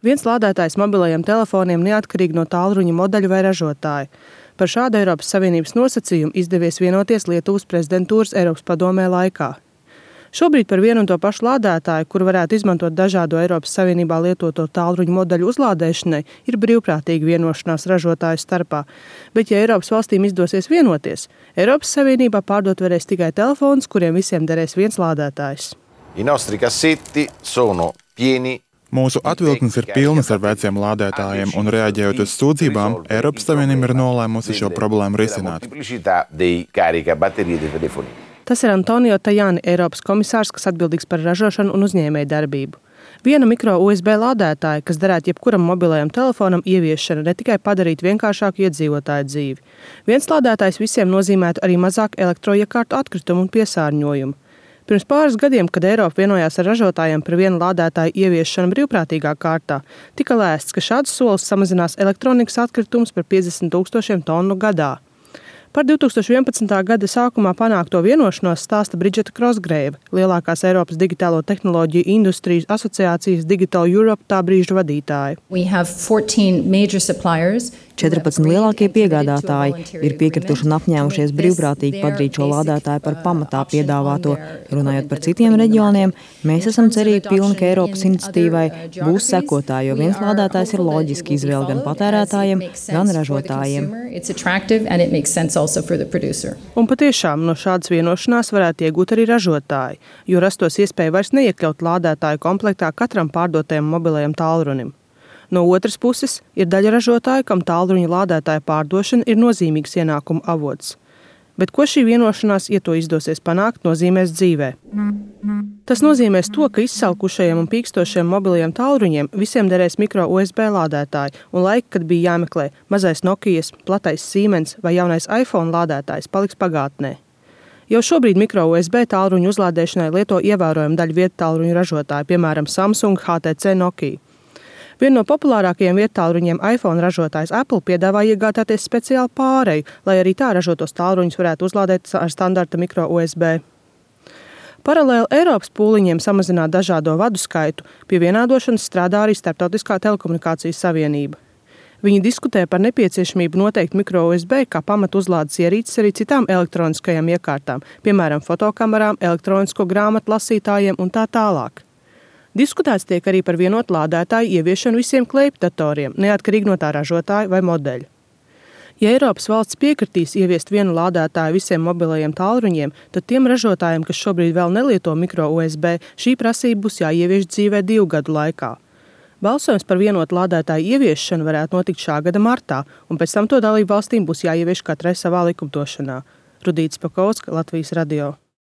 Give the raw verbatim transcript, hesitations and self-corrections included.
Viens lādētājs mobilajiem telefoniem neatkarīgi no tālruņa modeļa vai ražotāja. Par šādu Eiropas Savienības nosacījumu izdevies vienoties Lietuvas prezidentūras Eiropas padomē laikā. Šobrīd par vienu un to pašu lādētāju, kuru varētu izmantot dažādo Eiropas Savienībā lietoto tālruņa modeļu uzlādēšanai, ir brīvprātīga vienošanās ražotāju starpā. Bet, ja Eiropas valstīm izdosies vienoties, Eiropas Savienībā pārdot varēs tikai telefonus, kuriem visiem derēs viens lādētājs. I nostri cassetti sono pieni. Mūsu atvilknes ir pilnas ar veciem lādētājiem, un reaģējot uz sūdzībām, Eiropas Savienība ir nolēmusi šo problēmu risināt. Tas ir Antonio Tajani, Eiropas komisārs, kas atbildīgs par ražošanu un uzņēmēju darbību. Viena mikro U S B lādētāja, kas derētu jebkuram mobilajam telefonam, ieviešana ne tikai padarīt vienkāršāku iedzīvotāju dzīvi. Viens lādētājs visiem nozīmētu arī mazāk elektroiekārtu atkritumu un piesārņojumu. Pirms pāris gadiem, kad Eiropa vienojās ar ražotājiem par vienu lādētāju ieviešanu brīvprātīgā kārtā, tika lēsts, ka šāds solis samazinās elektronikas atkritumus par piecdesmit tūkstošiem tonu gadā. Par divi tūkstoši vienpadsmitā gada sākumā panākto vienošanos stāsta Bridžeta Krosgreiva, lielākās Eiropas digitālo tehnoloģiju industrijas asociācijas Digital Europe tā brīža vadītāja. četrpadsmit lielākie piegādātāji ir piekrituši un apņēmušies brīvprātīgi padarīt šo lādētāju par pamatā piedāvāto. Runājot par citiem reģioniem, mēs esam cerīgi pilni, ka Eiropas iniciatīvai būs sekotāji, jo viens lādētājs ir loģiski izvēle gan patērētājiem, gan ražotājiem. Un patiešām no šādas vienošanās varētu iegūt arī ražotāji, jo rastos iespēja vairs neiekļaut lādētāju komplektā katram pārdotajam mobilajam tālrunim. No otras puses, ir daļa ražotāju, kam tālruņa lādētāja pārdošana ir nozīmīgs ienākumu avots. Bet ko šī vienošanās, ja to izdosies panākt, nozīmēs dzīvē? Tas nozīmēs to, ka izsalkušajiem un pīkstošiem mobilajiem tālruņiem visiem derēs mikro U S B lādētāji, un laika, kad bija jāmeklē mazais Nokijas, platais Siemens vai jaunais iPhone lādētājs, paliks pagātnē. Jau šobrīd mikro U S B tālruņu uzlādēšanai lieto ievērojumu daļu vietu tālruņu ražotāji, piemēram, Samsung, H T C, Nokia. Viena no populārākajiem vietālruņiem iPhone ražotājs Apple piedāvā iegādāties speciālu pāreju, lai arī tā ražotos tālruņus varētu uzlādēt ar standarta mikro U S B. Paralēli Eiropas pūliņiem samazināt dažādo vadu skaitu, pie vienādošanas strādā arī Starptautiskā telekomunikācijas savienība. Viņi diskutē par nepieciešamību noteikt mikro U S B kā pamatu uzlādes ierīces arī citām elektroniskajām iekārtām, piemēram, fotokamerām, elektronisko grāmatu lasītājiem un tā tālāk. Diskutēts tiek arī par vienotu lādētāju ieviešanu visiem kleipdatoriem, neatkarīgi no tā ražotāja vai modeļa. Ja Eiropas valsts piekritīs ieviest vienu lādētāju visiem mobilajiem tālruņiem, tad tiem ražotājiem, kas šobrīd vēl nelieto mikro U S B, šī prasība būs jāievieš dzīvē divu gadu laikā. Balsojums par vienotu lādētāju ieviešanu varētu notikt šā gada martā, un pēc tam to dalību valstīm būs jāievieš katrai savā likumdošanā. Rudīta Spakovska, Latvijas radio.